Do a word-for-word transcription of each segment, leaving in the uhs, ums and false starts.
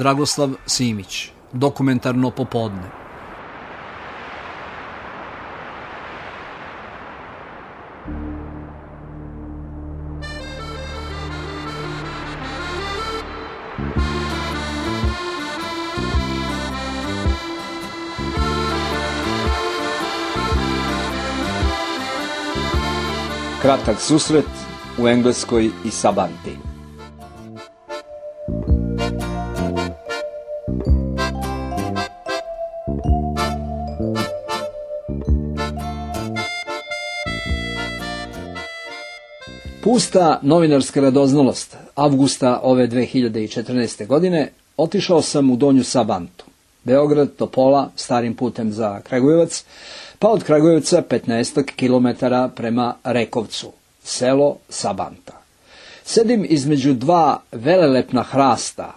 Dragoslav Simić, Dokumentarno popodne. Kratak susret u Engleskoj i Sabanti. Pusta novinarska radoznalost. Avgusta ove dve hiljade četrnaeste. godine otišao sam u Donju Sabantu. Beograd, Topola, starim putem za Kragujevac, pa od Kragujevca petnaestak kilometara prema Rekovcu, selo Sabanta. Sedim između dva velelepna hrasta,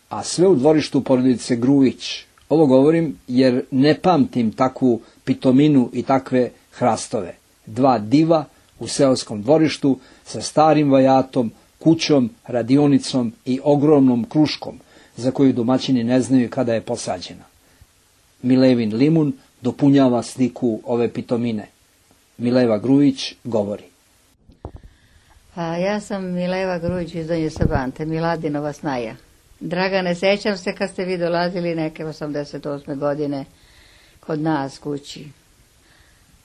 a sve u dvorištu porodice Grujić. Ovo govorim jer ne pamtim takvu pitominu i takve hrastove. Dva diva u seoskom dvorištu sa starim vajatom, kućom, radionicom i ogromnom kruškom, za koju domaćini ne znaju kada je posađena. Milevin limun dopunjava sliku ove pitomine. Mileva Grujić govori. Pa ja sam Mileva Grujić iz Donje Sabante, Miladinova snaja. Dragane, sećam se kad ste vi dolazili neke osamdeset osme. godine kod nas kući.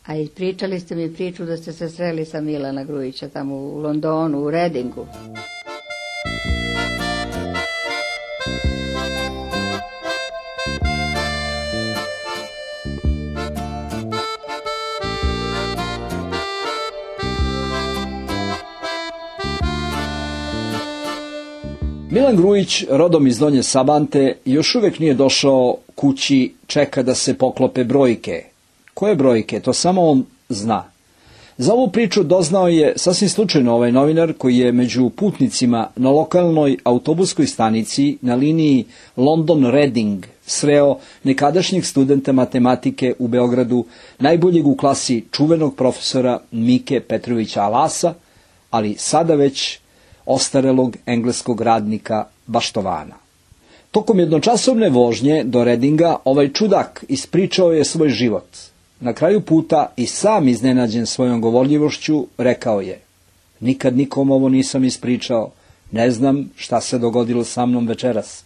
A i pričali ste mi priču da ste se sreli sa Milana Grujića tamo u Londonu, u Redingu. Milan Grujić, rodom iz Donje Sabante, još uvijek nije došao kući, čeka da se poklope brojke. Koje brojke? To samo on zna. Za ovu priču doznao je sasvim slučajno ovaj novinar koji je među putnicima na lokalnoj autobuskoj stanici na liniji London-Reading sreo nekadašnjeg studenta matematike u Beogradu, najboljeg u klasi čuvenog profesora Mike Petrovića Alasa, ali sada već ostarelog engleskog radnika Baštovana. Tokom jednočasovne vožnje do Redinga ovaj čudak ispričao je svoj život. Na kraju puta i sam iznenađen svojom govorljivošću rekao je: nikad nikom ovo nisam ispričao, ne znam šta se dogodilo sa mnom večeras.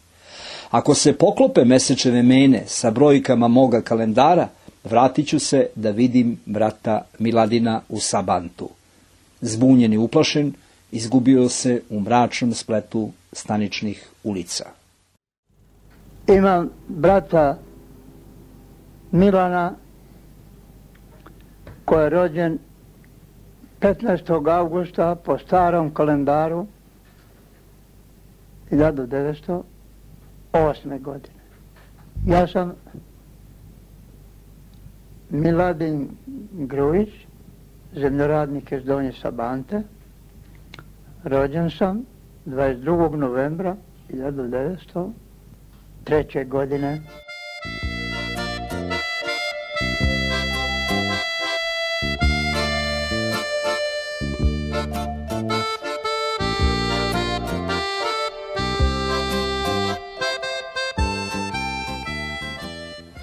Ako se poklope mesečeve mene sa brojkama moga kalendara, vratit ću se da vidim brata Miladina u Sabantu. Zbunjen i uplašen, izgubio se u mračnom spletu staničnih ulica. Imam brata Milana koji je rođen petnaestog avgusta po starom kalendaru hiljadu devetsto osme. godine. Ja sam Miladin Grujić, zemljoradnik iz Donje Sabante. Rođen sam dvadeset drugog novembra hiljadu devetsto treće. godine.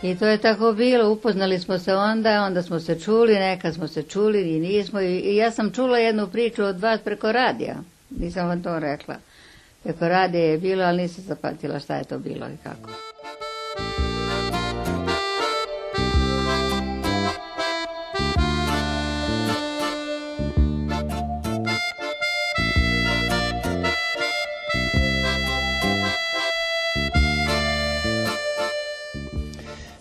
I to je tako bilo, upoznali smo se onda, onda smo se čuli, nekad smo se čuli i nismo. I, i ja sam čula jednu priču od vas preko radija, nisam vam to rekla. Preko radija je bilo, ali nisam zapamtila šta je to bilo i kako.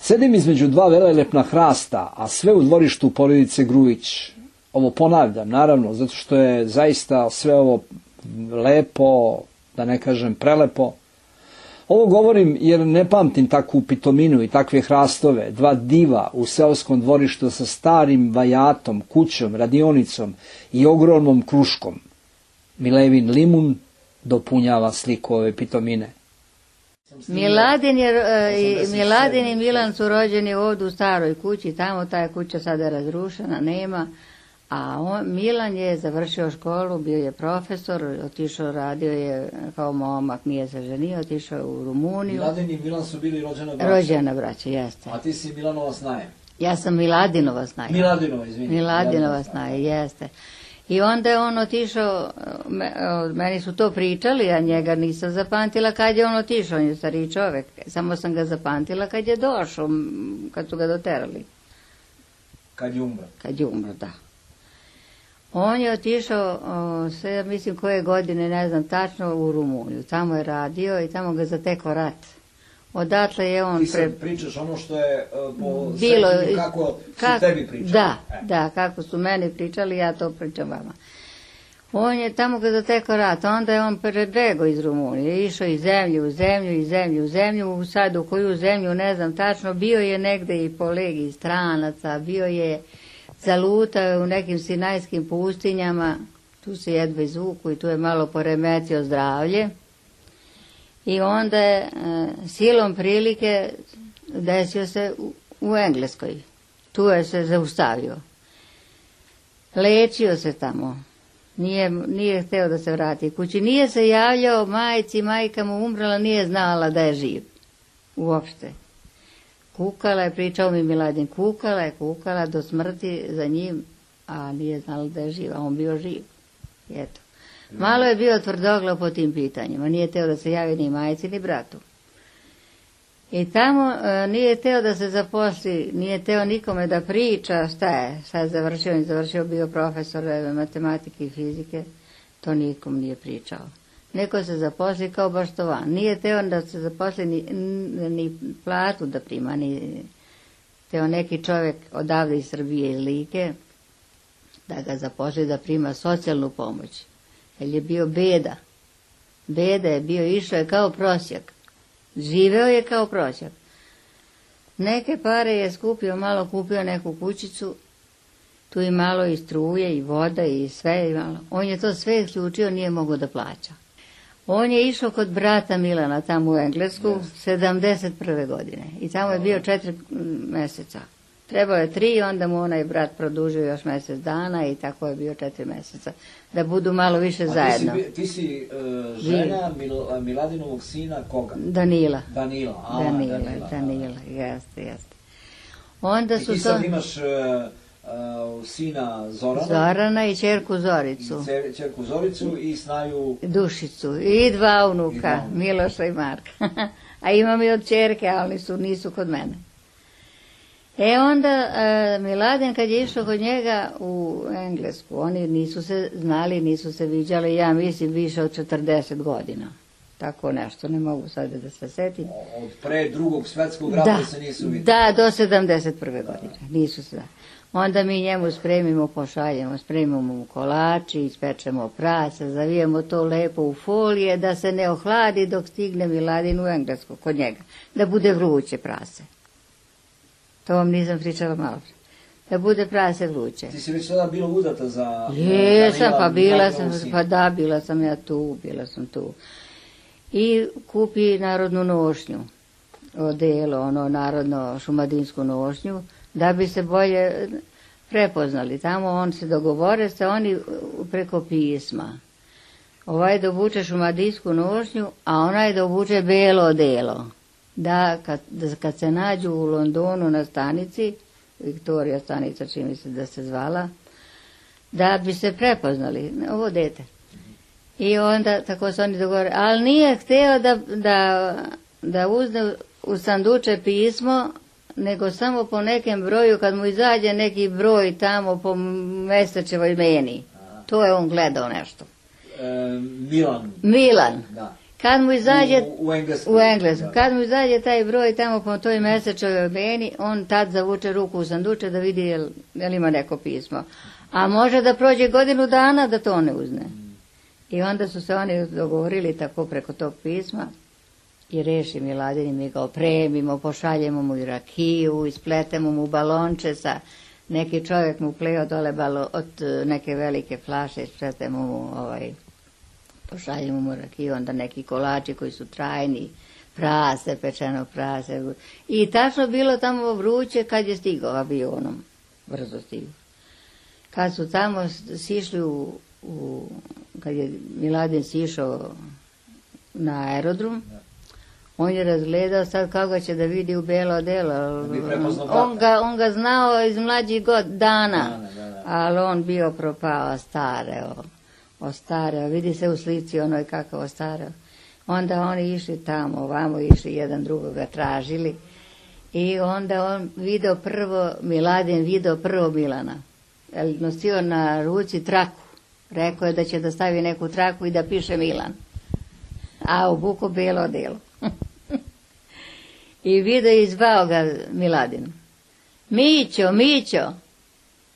Sedim između dva velelepna hrasta, a sve u dvorištu porodice Grujić. Ovo ponavljam, naravno, zato što je zaista sve ovo lepo, da ne kažem prelepo. Ovo govorim jer ne pamtim takvu pitominu i takve hrastove. Dva diva u seoskom dvorištu sa starim vajatom, kućom, radionicom i ogromnom kruškom. Milevin limun dopunjava sliku ove pitomine. Miladin, je, uh, Miladin i Milan su rođeni ovdje u staroj kući, tamo ta je kuća sada razrušena, nema, A on, Milan je završio školu, bio je profesor, otišao, radio je kao momak, nije se ženio, otišao u Rumuniju. Miladin i Milan su bili rođena braća. Rođena braća, jeste. A ti si Milanova snaja. Ja sam Miladinova snaja. Miladinova, izvini. Miladinova snaja, jeste. I onda je on otišao, meni su to pričali, a njega nisam zapamtila kad je on otišao, on je stariji čovek. Samo sam ga zapamtila kad je došao, kad su ga doterali. Kad je umro. Kad je umro, da. On je otišao, sve, mislim koje godine, ne znam tačno, u Rumuniju. Tamo je radio i tamo ga zatekao rat. Odatle je on... Ti sad pre... pričaš ono što je po bilo, srednju, kako su kak, tebi pričali. Da, e. da, kako su meni pričali, ja to pričam vama. On je tamo ga zatekao rat, onda je on prebegao iz Rumunije, išao iz zemlju u zemlju, iz zemlju u zemlju, sad u koju zemlju, ne znam tačno, bio je negde i po legiji stranaca, bio je zalutao u nekim sinajskim pustinjama, tu se jedva izvuku i tu je malo poremetio zdravlje. I onda je e, silom prilike desio se u, u Engleskoj. Tu je se zaustavio. Lečio se tamo. Nije, nije hteo da se vrati kući. Nije se javljao majci, majka mu umrala, nije znala da je živ. Uopšte. Kukala je, pričao mi Miladin, kukala je, kukala do smrti za njim, a nije znala da je živ, a on bio živ. Eto. Malo je bio tvrdoglav po tim pitanjima, nije teo da se javi ni majci ni bratu. I tamo e, nije teo da se zaposli, nije teo nikome da priča šta je, šta je završio, on je završio, bio profesor matematike i fizike, to nikom nije pričao. Neko se zaposli kao baštovan, nije teo da se zaposli ni, ni platu da prima, ni teo neki čovjek odavde iz Srbije iz Like da ga zaposli da prima socijalnu pomoć. Jer je bio beda. Beda je bio, išao je kao prosjak. Živeo je kao prosjak. Neke pare je skupio, malo kupio neku kućicu, tu i malo i struje i voda i sve. I malo. On je to sve isključio, nije mogao da plaća. On je išao kod brata Milana tamo u Englesku, yes. sedamdeset prve godine. I tamo je bio četiri meseca. Trebao je tri, onda mu onaj brat produžio još mjesec dana i tako je bio četiri mjeseca. Da budu malo više A zajedno. Ti si, ti si uh, žena Mil, Miladinovog sina koga? Danila. Danila, a, Danila, Danila, Danila, jeste, jeste. Onda su I ti sad to... imaš uh, uh, sina Zorana. Zorana i ćerku Zoricu. I ćerku Zoricu i snaju... Dušicu. I dva unuka, I dva unuka. Miloša i Marka. A imam i od ćerke, ali su, nisu kod mene. E onda e, Miladin kad je išao kod njega u Englesku, oni nisu se znali, nisu se viđali, ja mislim više od četrdeset godina. Tako nešto, ne mogu sad da se setim. Od pre drugog svetskog rata da, se nisu vidjeli. Da, do sedamdeset prve godine, nisu se. Onda mi njemu spremimo, pošaljemo, spremimo mu kolači, ispečemo prase, zavijemo to lepo u folije da se ne ohladi dok stigne Miladin u Englesku kod njega, da bude vruće prase. To vam nisam pričala malo. Da bude prase vruće. Ti si već tada bila udata za... Jesam, pa bila sam, pa da, bila sam ja tu, bila sam tu. I kupi narodnu nošnju, odelo, ono, narodno šumadinsku nošnju, da bi se bolje prepoznali. Tamo on se dogovore se oni preko pisma. Ovaj da obuče šumadinsku nošnju, a onaj da obuče belo odelo. Da kad, da kad se nađu u Londonu na stanici, Viktorija stanica čini se da se zvala, da bi se prepoznali, ovo dete. I onda tako se oni dogovore, ali nije htio da, da, da uzne u sanduče pismo, nego samo po nekem broju, kad mu izađe neki broj tamo po mesečevoj meni. To je on gledao nešto. E, Milan. Milan. Da. Kad mu izađe u, u Englesku, u Englesku. Da. Kad mu izađe taj broj tamo po toj mesečevoj meni, on tad zavuče ruku u sanduče da vidi jel, jel ima neko pismo. A može da prođe godinu dana da to ne uzne. Mm. I onda su se oni dogovorili tako preko tog pisma i reši Miladin i mi ga opremimo, pošaljemo mu i rakiju, ispletemo mu balonče sa, neki čovjek mu pleo dole balo, od neke velike flaše, ispletemo mu ovaj, pošaljemo mu rakiju, onda neki kolači koji su trajni, prase, pečeno prase. I tačno bilo tamo vruće kad je stigao avionom, brzo stigao. Kad su tamo sišli u, u kad je Miladin sišao na aerodrom, on je razgledao sad kako će da vidi u belo delo. On ga, on ga znao iz mlađih god dana, dana da, da. Ali on bio propao, stareo, ostareo. Vidi se u slici onoj kakav ostareo. Onda oni išli tamo, ovamo išli, jedan drugoga tražili. I onda on video prvo, Miladin video prvo Milana. Nosio na ruci traku. Rekao je da će da stavi neku traku i da piše Milan. A obuko belo delo. I video i zvao ga Miladin. Mićo, Mićo,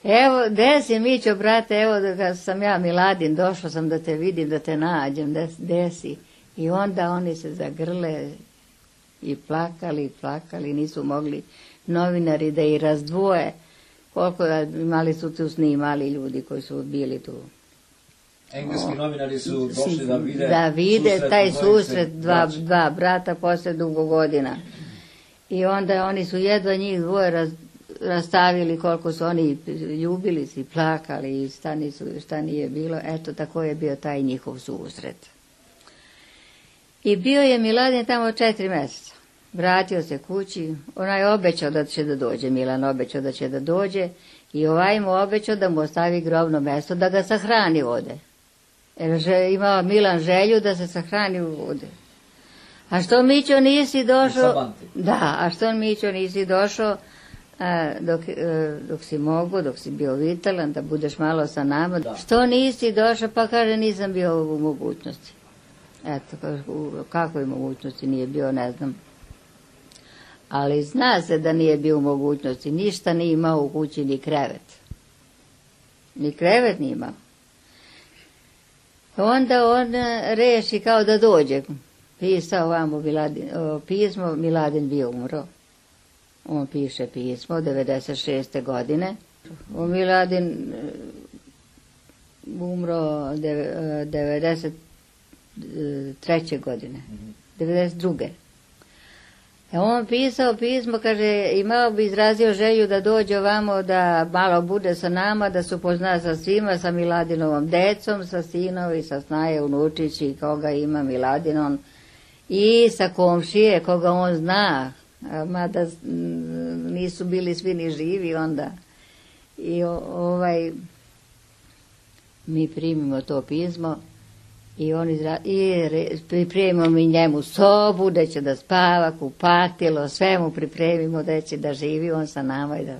evo, gde si Mićo, brate, evo da sam ja Miladin, došao sam da te vidim, da te nađem, gde si. I onda oni se zagrle i plakali, plakali, nisu mogli novinari da ih razdvoje. Koliko imali su tu snimali ljudi koji su bili tu. Engleski novinari su došli da vide, da vide susret taj susret dva, dva brata posle dugo godina. I onda oni su jedva njih dvoje raz, rastavili koliko su oni ljubili se i plakali i šta, nisu, šta nije bilo. Eto, tako je bio taj njihov susret. I bio je Miladin tamo četiri mjeseca. Vratio se kući, onaj obećao da će da dođe, Milan obećao da će da dođe i ovaj mu obećao da mu ostavi grobno mjesto, da ga sahrani ovde. Jer imao Milan želju da se sahrani u vode. A što Mićo nisi došao? Da, a što Mićo nisi došao a, dok, a, dok si mogu, dok si bio vitalan, da budeš malo sa nama. Da. Što nisi došao? Pa kaže, nisam bio u mogućnosti. Eto, u kakvoj mogućnosti nije bio, ne znam. Ali zna se da nije bio u mogućnosti. Ništa nije imao u kući, ni krevet. Ni krevet nije imao. Onda on reši kao da dođe. Pisao vamo Miladin, o, pismo, Miladin bio umro. On piše pismo, devedeset šeste godine. O Miladin umro devedeset treće godine. devedeset druge On pisao pismo, kaže, imao bi izrazio želju da dođe ovamo, da malo bude sa nama, da se upozna sa svima, sa Miladinovom decom, sa sinovi, sa Snaje unučići, koga ima Miladinon, i sa komšije, koga on zna, mada nisu bili svi ni živi onda. I ovaj, mi primimo to pismo, i on izra... i pripremimo mi njemu sobu, da će da spava, kupatilo, sve mu pripremimo da će da živi on sa nama i da...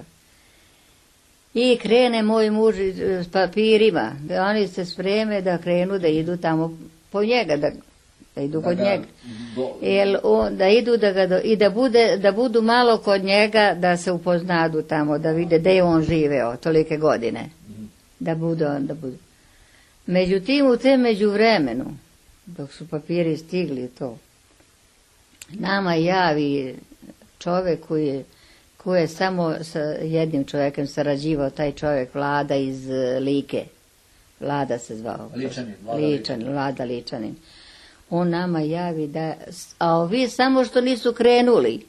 I krene moj muž s papirima, da oni se spreme da krenu da idu tamo po njega, da, da idu da kod ga, njega. Do... Jel, on, da idu da ga do... i da, bude, da budu malo kod njega, da se upoznadu tamo, da vide gde je on živeo tolike godine. Mm. Da budu, da budu. Međutim, u te međuvremenu, dok su papiri stigli to, nama javi čovjek koji je, koji je samo sa jednim čovjekom sarađivao, taj čovjek Vlada iz Like. Vlada se zvao. Ličanin. Vlada Ličanin, Vlada Ličanin. On nama javi da, a ovi samo što nisu krenuli.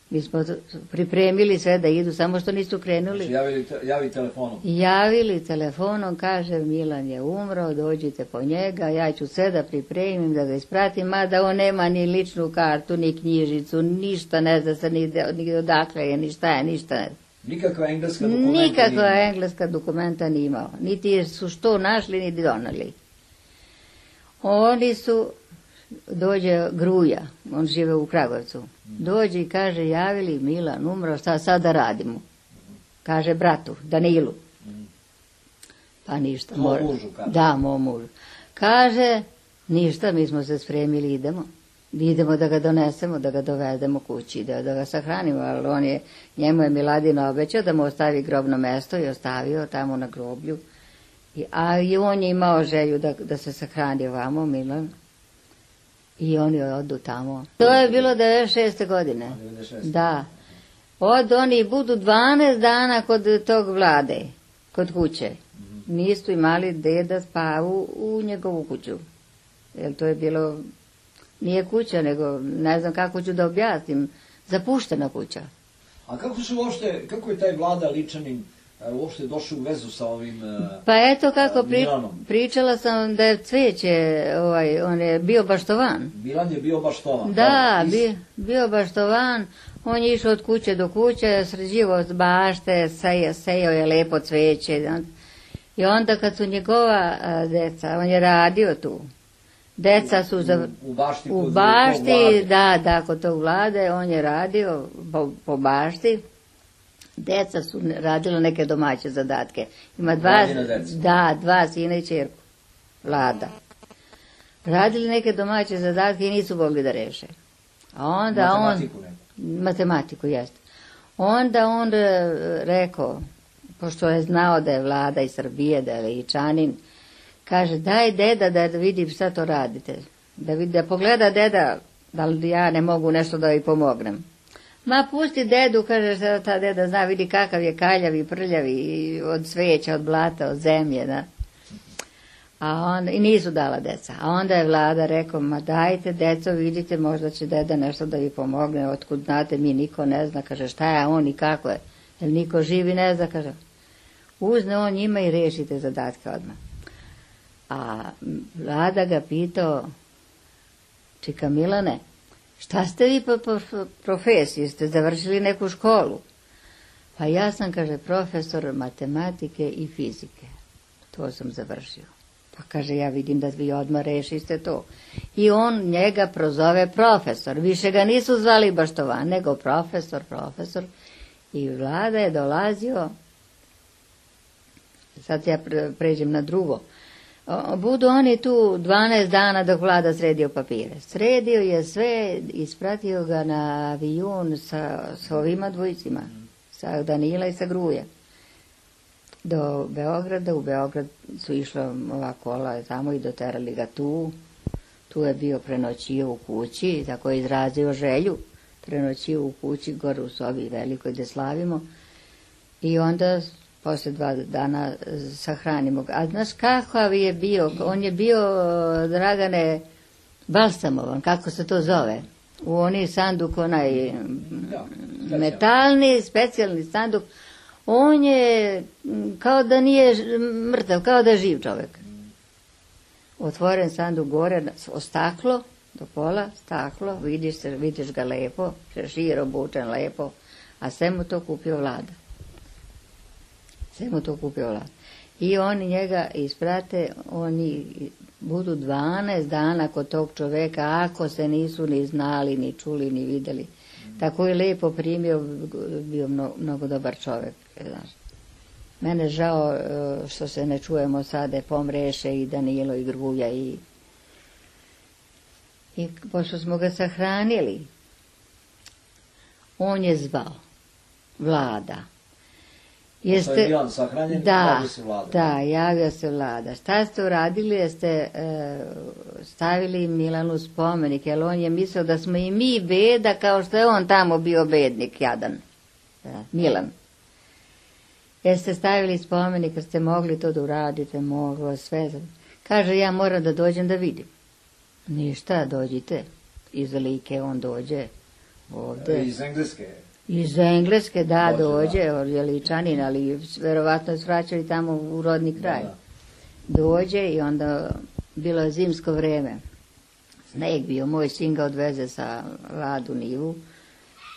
Mi smo pripremili sve da idu, samo što nisu krenuli. Znači, javili, te, javi telefonom. Javili telefonom, kaže, Milan je umro, dođite po njega, ja ću sve da pripremim, da ga ispratim, mada on nema ni ličnu kartu, ni knjižicu, ništa ne zna se, ni, ni odakle je, ni šta je, ništa ne zna. Nikakva engleska dokumenta Nikakva engleska dokumenta nije imao. Niti su što našli, niti donali. Oni su... Dođe Gruja, on žive u Kragujevcu, dođe i kaže, javili Milan umro, šta sad da radimo? Kaže bratu, Danilu. Pa ništa. Moj mužu, kaže. Da, moj mužu. Kaže, ništa, mi smo se spremili, idemo. Idemo da ga donesemo, da ga dovedemo kući, da, da ga sahranimo, ali on je, njemu je Miladin obećao da mu ostavi grobno mesto i ostavio tamo na groblju. I, a i on je imao želju da, da se sahrani ovamo, Milan. I oni odu tamo. To je bilo devedeset šeste godine. devedeset šeste Da. Od oni budu dvanaest dana kod tog Vlade, kod kuće. Mm-hmm. Nisu imali gde da spavu u njegovu kuću. Jer to je bilo, nije kuća, nego ne znam kako ću da objasnim, zapuštena kuća. A kako su uopšte, kako je taj Vlada Ličanin uopšte došli u vezu sa ovim Pa eto kako pri, Milanom? pričala sam da je cvijeće, ovaj, on je bio baštovan. Milan je bio baštovan. Da, bio, bio baštovan, on je išao od kuće do kuće, sređivo bašte, sejao, sejao je lepo cvijeće. I onda kad su njegova a, deca, on je radio tu. Deca su za, u, u bašti, u bašti da, da, kod tog vlade, on je radio po, po bašti. Deca su radila neke domaće zadatke. Ima dva, da, dva sina i čerku, Vlada. Radili neke domaće zadatke i nisu mogli da reše. A onda matematiku on... Neku. Matematiku, jeste. Onda on rekao, pošto je znao da je Vlada iz Srbije, da je Ličanin, kaže, daj deda da vidim šta to radite. Da, vidi, da pogleda deda, da li ja ne mogu nešto da joj pomognem. Ma pusti dedu, kaže se ta deda zna, vidi kakav je kaljav i prljav i od sveća, od blata, od zemlje, da. A onda, i nisu dala deca. A onda je Vlada rekao, ma dajte deco, vidite, možda će deda nešto da vi pomogne, otkud znate, mi niko ne zna, kaže šta je on i kako je, jer niko živi ne zna, kaže. Uzne on njima i rešite zadatke odmah. A Vlada ga pitao, čika Milane, šta ste vi po, po profesiji, ste završili neku školu? Pa ja sam, kaže, profesor matematike i fizike. To sam završio. Pa kaže, ja vidim da vi odmah rešiste to. I on njega prozove profesor. Više ga nisu zvali baštovan, nego profesor, profesor. I Vlada je dolazio, sad ja pređem na drugo, budu oni tu dvanaest dana dok Vlada sredio papire. Sredio je sve, ispratio ga na avion sa, sa ovima dvojicima, sa Danila i sa Gruje. Do Beograda, u Beograd su išla ova kola tamo i doterali ga tu. Tu je bio prenoćio u kući, tako je izrazio želju. Prenoćio u kući, gore u sobi velikoj gde slavimo. I onda posle dva dana sahranimo ga. A znaš kakav je bio? On je bio, Dragane, balsamovan, kako se to zove? U onaj sanduk, onaj ja, metalni, specijalni sanduk. On je kao da nije mrtav, kao da je živ čovjek. Otvoren sanduk gore, staklo, do pola, staklo, vidiš, se, vidiš ga lepo, šešir obučen lepo, a sve mu to kupio Vlada. Sve mu to kupio Vlada. I oni njega isprate, oni budu dvanaest dana kod tog čoveka, ako se nisu ni znali, ni čuli, ni videli. Tako je lepo primio, bio mnogo, mnogo dobar čovjek. Znaš. Mene žao što se ne čujemo sada, pomreše i Danilo i Gruja i i pošto smo ga sahranili, on je zvao Vlada. Jeste, je Milan sahranjen, da, javio se Vlada. Da, javio se Vlada. Šta ste uradili? Jeste e, stavili Milanu spomenik, jer on je mislio da smo i mi beda, kao što je on tamo bio bednik, jadan. Da, Milan. Jeste stavili spomenik, jer ste mogli to da uradite, moglo sve. Kaže, ja moram da dođem da vidim. Ništa, dođite. Iz Like on dođe ovde. Iz Engleske. Iz Engleske, da, dođe, on je Ličanin, ali verovatno su vraćali tamo u rodni kraj. Da, da. Dođe i onda bilo je zimsko vreme. Sneg bio, moj sin ga odveze sa Ladu Nivu,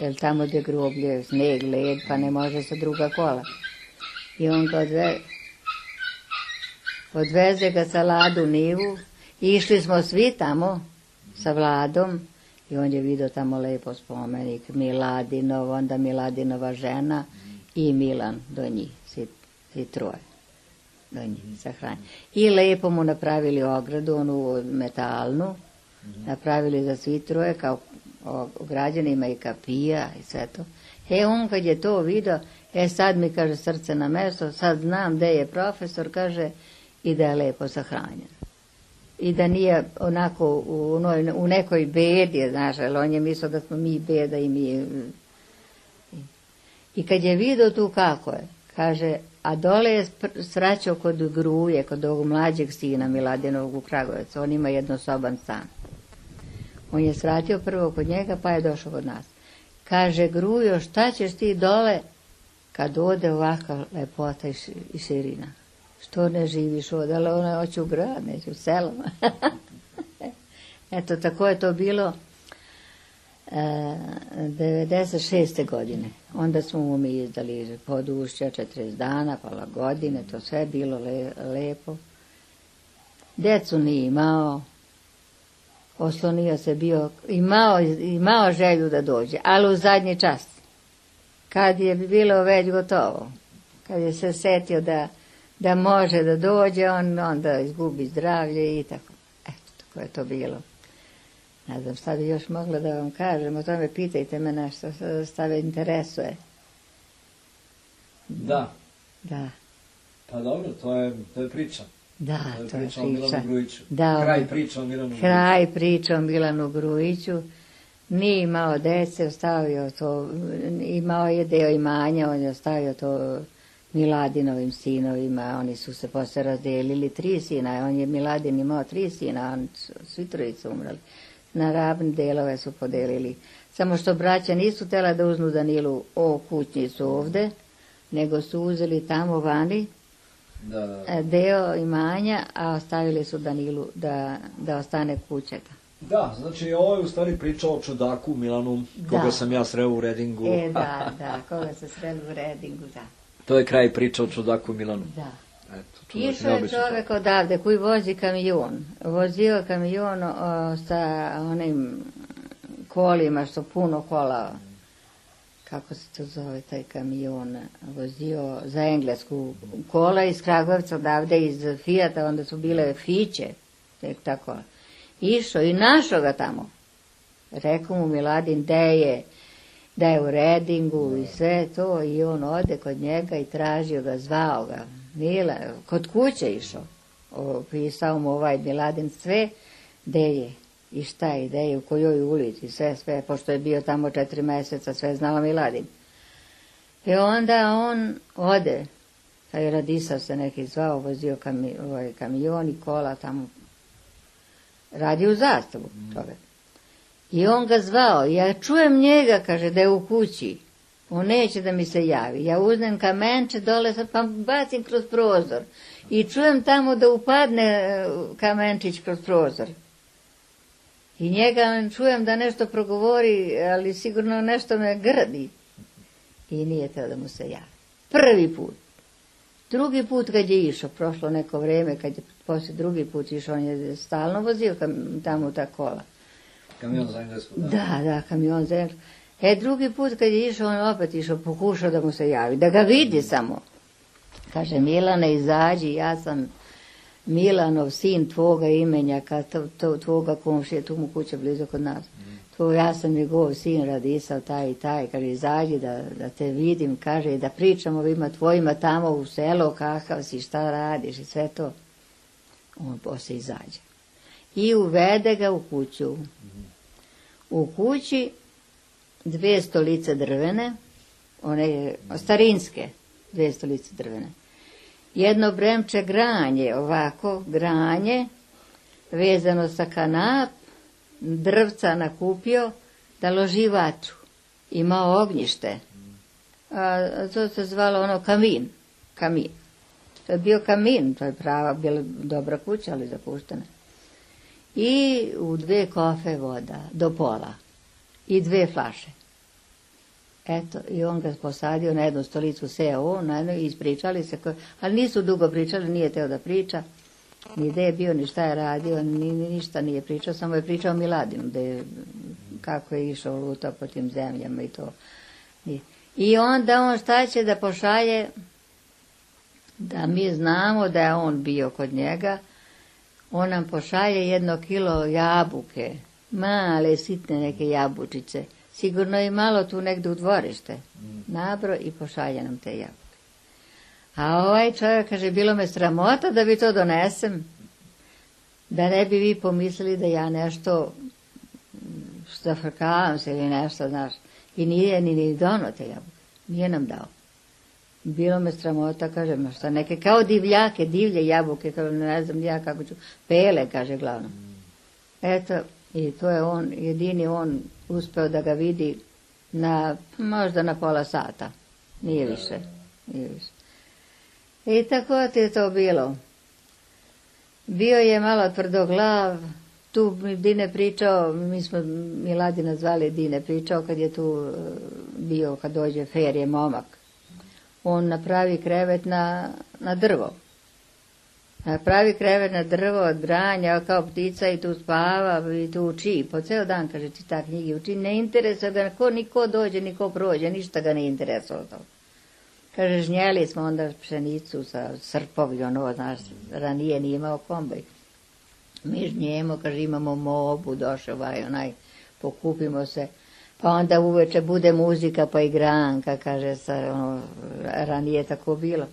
jer tamo gdje groblje, sneg, led, pa ne može sa druga kola. I on ga odveze, odveze ga sa Ladu Nivu, i išli smo svi tamo sa Vladom, i on je vidio tamo lepo spomenik, Miladinov, onda Miladinova žena i Milan do njih, svi, svi troje do njih sahranjeni. I lepo mu napravili ogradu, onu metalnu, napravili za svi troje, kao građanima i kapija i sve to. E on kad je to vidio, e sad mi kaže srce na mesto, sad znam gde je profesor, kaže, i da je lepo sahranjen. I da nije onako u, u nekoj bedi, znaš, ali on je mislio da smo mi beda i mi. I kad je vidio tu kako je, kaže, a dole je sraćao kod Gruje, kod ovog mlađeg sina Miladinovog u Kragujevcu, on ima jednosoban stan. On je svratio prvo kod njega, pa je došao kod nas. Kaže, Grujo, šta ćeš ti dole kad ode ovakva lepota i širina. Što ne živiš ovdje, ali ona hoće u grad, neće u selama. Eto, tako je to bilo e, devedeset šeste godine. Onda smo mu mi izdali podušća, četrdeset dana, pola godine, to sve bilo le, lepo. Decu nije imao, oslonio se bio, imao, imao želju da dođe, ali u zadnji čas. Kad je bilo već gotovo, kad je se setio da, da može da dođe, on onda izgubi zdravlje i tako. Eto, tako je to bilo. Ne znam šta bi još mogla da vam kažem, o tome pitajte me nešto, šta me interesuje. Da. Da. Pa dobro, to je, to je priča. Da, to je to je priča o priča. Milanu Grujiću. Da, Kraj priča o Milanu Grujiću. Kraj priča o Milanu Grujiću. Nije imao dece, ostavio to, imao je deo imanja, on je ostavio to Miladinovim sinovima, oni su se posle razdelili, tri sina, on je Miladin imao tri sina, on, svi trojice umrali. Na ravne delove su podelili. Samo što braća nisu tela da uznu Danilu o kućnicu ovde, nego su uzeli tamo vani da, da. deo imanja, a ostavili su Danilu da, da ostane kućeta. Da, znači ovo je u stvari priča o čudaku Milanu, koga Da. sam ja sreo u Redingu. E, da, da, koga se sreli u Redingu, da. To je kraj priča o čudaku Milanu. Da. Eto, čudak, Išao je neobičan čovjek odavde koji vozi kamion. Vozio kamion o, sa onim kolima, što puno kola, kako se to zove taj kamion, vozio za Englesku kola iz Kragujevca odavde, iz Fijata, onda su bile Fiće, tek tako. Išao i našao ga tamo. Rekao mu Miladin da je, da je u Redingu i sve to, i on ode kod njega i tražio ga, zvao ga. Mila, kod kuće išao. Pisao mu ovaj Miladin sve, gde je i šta je, gde je, u kojoj ulici, sve, sve, pošto je bio tamo četiri meseca, sve znala Miladin. I onda on ode, kad je Radisao se neki zvao, vozio kami, ovaj kamion i kola tamo, radi u Zastavu čovjek. I on ga zvao, ja čujem njega, kaže, da je u kući. On neće da mi se javi. Ja uzmem kamenče dole, pa bacim kroz prozor. I čujem tamo da upadne kamenčić kroz prozor. I njega čujem da nešto progovori, ali sigurno nešto me grdi. I nije teo da mu se javi. Prvi put. Drugi put kad je išao, prošlo neko vreme, kad je poslije drugi put išao, on je stalno vozio kam, tamo ta kola. Kamion za Englesku, da. Da, da, kamion za Englesku. E, drugi put kad je išao, on opet išao, pokušao da mu se javi, da ga vidi samo. Kaže, Milane, izađi, ja sam Milanov, sin tvoga imenjaka, to, to, tvoga komšije, tu mu kuća blizu kod nas. Mm. To, ja sam njegov sin Radisao, taj i taj, kaže, izađi da, da te vidim, kaže, i da pričamo ovima tvojima tamo u selo, kakav si, šta radiš i sve to. On poslije izađe. I uvede ga u kuću. Mm. U kući dve stolice drvene, one starinske, dve stolice drvene. Jedno bremče granje, ovako, granje, vezano sa kanap, drvca nakupio, da loži vatru. Imao ognjište. A to se zvalo ono kamin. Kamin. To je bio kamin, to je prava, bila dobra kuća, ali zapuštena. I u dve kofe voda, do pola. I dve flaše. Eto, i on ga posadio na jednu stolicu, seo on, na jednu, i ispričali se, ko, ali nisu dugo pričali, nije teo da priča, ni gde je bio, ni šta je radio, ni, ni ništa nije pričao, samo je pričao o Miladinu, da je, kako je išao lutao po tim zemljama i to. I, i onda on šta će da pošalje, da mi znamo da je on bio kod njega, on nam pošalje jedno kilo jabuke, male, sitne neke jabučice, sigurno i malo tu negdje u dvorište, nabro i pošalje nam te jabuke. A ovaj čovjek kaže, bilo me sramota da bi to donesem, da ne bi vi pomislili da ja nešto zafrkavam se ili nešto, znaš. I nije ni, ni dono te jabuke, nije nam dao. Bilo me sramota, kaže, ma šta, neke kao divljake, divlje jabuke, kao ne znam ja kako ću, pele, kaže glavno. Eto, i to je on, jedini on uspeo da ga vidi na, možda na pola sata. Nije više, nije više. I tako ti je to bilo. Bio je malo tvrdoglav, tu mi Dine pričao, mi smo Miladina zvali Dine, pričao kad je tu bio, kad dođe Ferije momak. On napravi krevet na, na drvo. Napravi krevet na drvo od branja, kao ptica i tu spava i tu uči. Po ceo dan, kaže, čita knjigi, uči. Ne interesuje ga, ko, niko dođe, niko prođe, ništa ga ne interesuje to. Kaže, žnjeli smo onda pšenicu sa srpovi, ono, znaš, ranije nije imao kombaj. Mi žnjemo, kaže, imamo mobu, došao ovaj, onaj, pokupimo se. Pa onda uveče bude muzika, pa igranka, kaže, sa, ono, ranije tako bilo.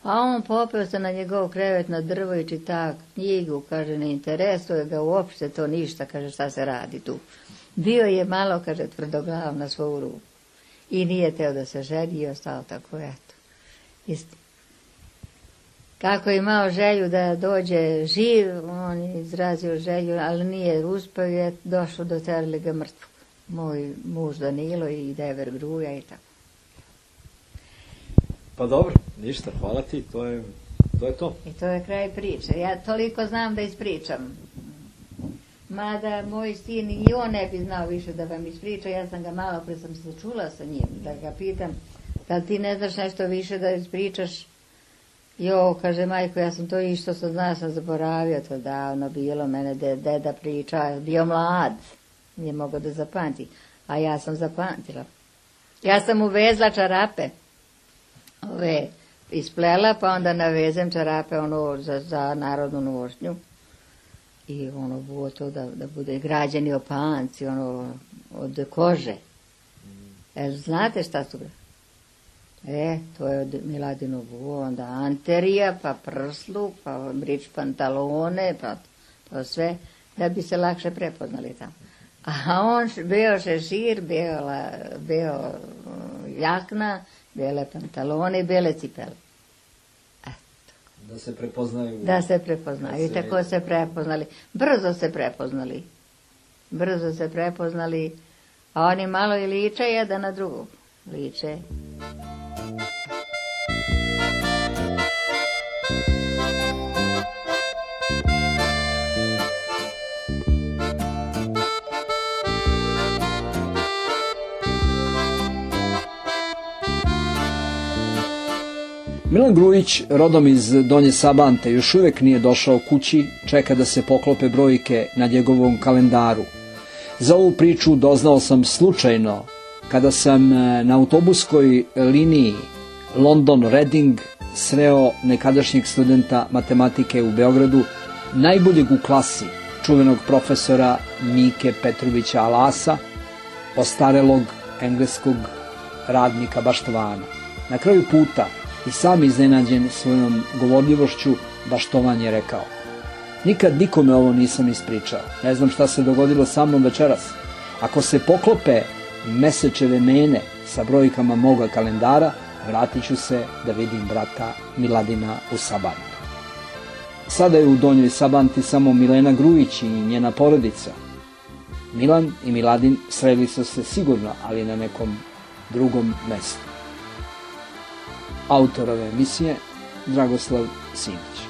A on popeo se na njegov krevet na drvo i čita knjigu, kaže, ne interesuje ga uopšte to ništa, kaže, šta se radi tu. Bio je malo, kaže, tvrdoglav na svoju ruku. I nije teo da se ženi i ostao tako, eto. Isti. Kako je imao želju da dođe živ, on je izrazio želju, ali nije uspeo, je došlo do terali ga mrtvog. Moj muž Danilo i Dever Gruja i tako. Pa dobro, ništa, hvala ti, to je to. Je to. I to je kraj priče. Ja toliko znam da ispričam. Mada moj sin i on ne bi znao više da vam ispriča, ja sam ga malo pre sam se čula sa njim, da ga pitam, da li ti ne znaš nešto više da ispričaš? Jo, kaže, majko, ja sam to išto sad zna, sam zaboravio, to davno bilo, mene de, deda priča, bio mlad, nije mogao da zapamti, a ja sam zapamtila. Ja sam uvezla čarape, ove, isplela, pa onda navezem čarape, ono, za, za narodnu nošnju. I ono bilo to da, da bude građeni opanci, ono, od kože. E, znate šta su? E, to je od Miladinog vuo, onda anterija, pa prsluk, pa brič pantalone, pa to sve, da bi se lakše prepoznali tamo. A on bio šešir, bio, bio jakna, bele pantalone i bele cipele. Da se prepoznaju. Da se prepoznaju. I tako se prepoznali. Brzo se prepoznali. Brzo se prepoznali. A oni malo i liče jedan na drugog. Liče. Milan Grujić, rodom iz Donje Sabante, još uvijek nije došao kući, čeka da se poklope brojke na njegovom kalendaru. Za ovu priču doznao sam slučajno kada sam na autobuskoj liniji London-Reading sreo nekadašnjeg studenta matematike u Beogradu, najboljeg u klasi, čuvenog profesora Mike Petrovića Alasa, ostarelog engleskog radnika Baštovana. Na kraju puta, i sam iznenađen svojom govorljivošću, Baštovan je rekao: nikad nikome ovo nisam ispričao, ne znam šta se dogodilo sa mnom večeras. Ako se poklope mesečeve mene sa brojkama moga kalendara, vratit ću se da vidim brata Miladina u Sabantu. Sada je u Donjoj Sabanti samo Milena Grujić i njena porodica. Milan i Miladin sreli su se sigurno, ali na nekom drugom mestu. Autor ove emisije Dragoslav Simić.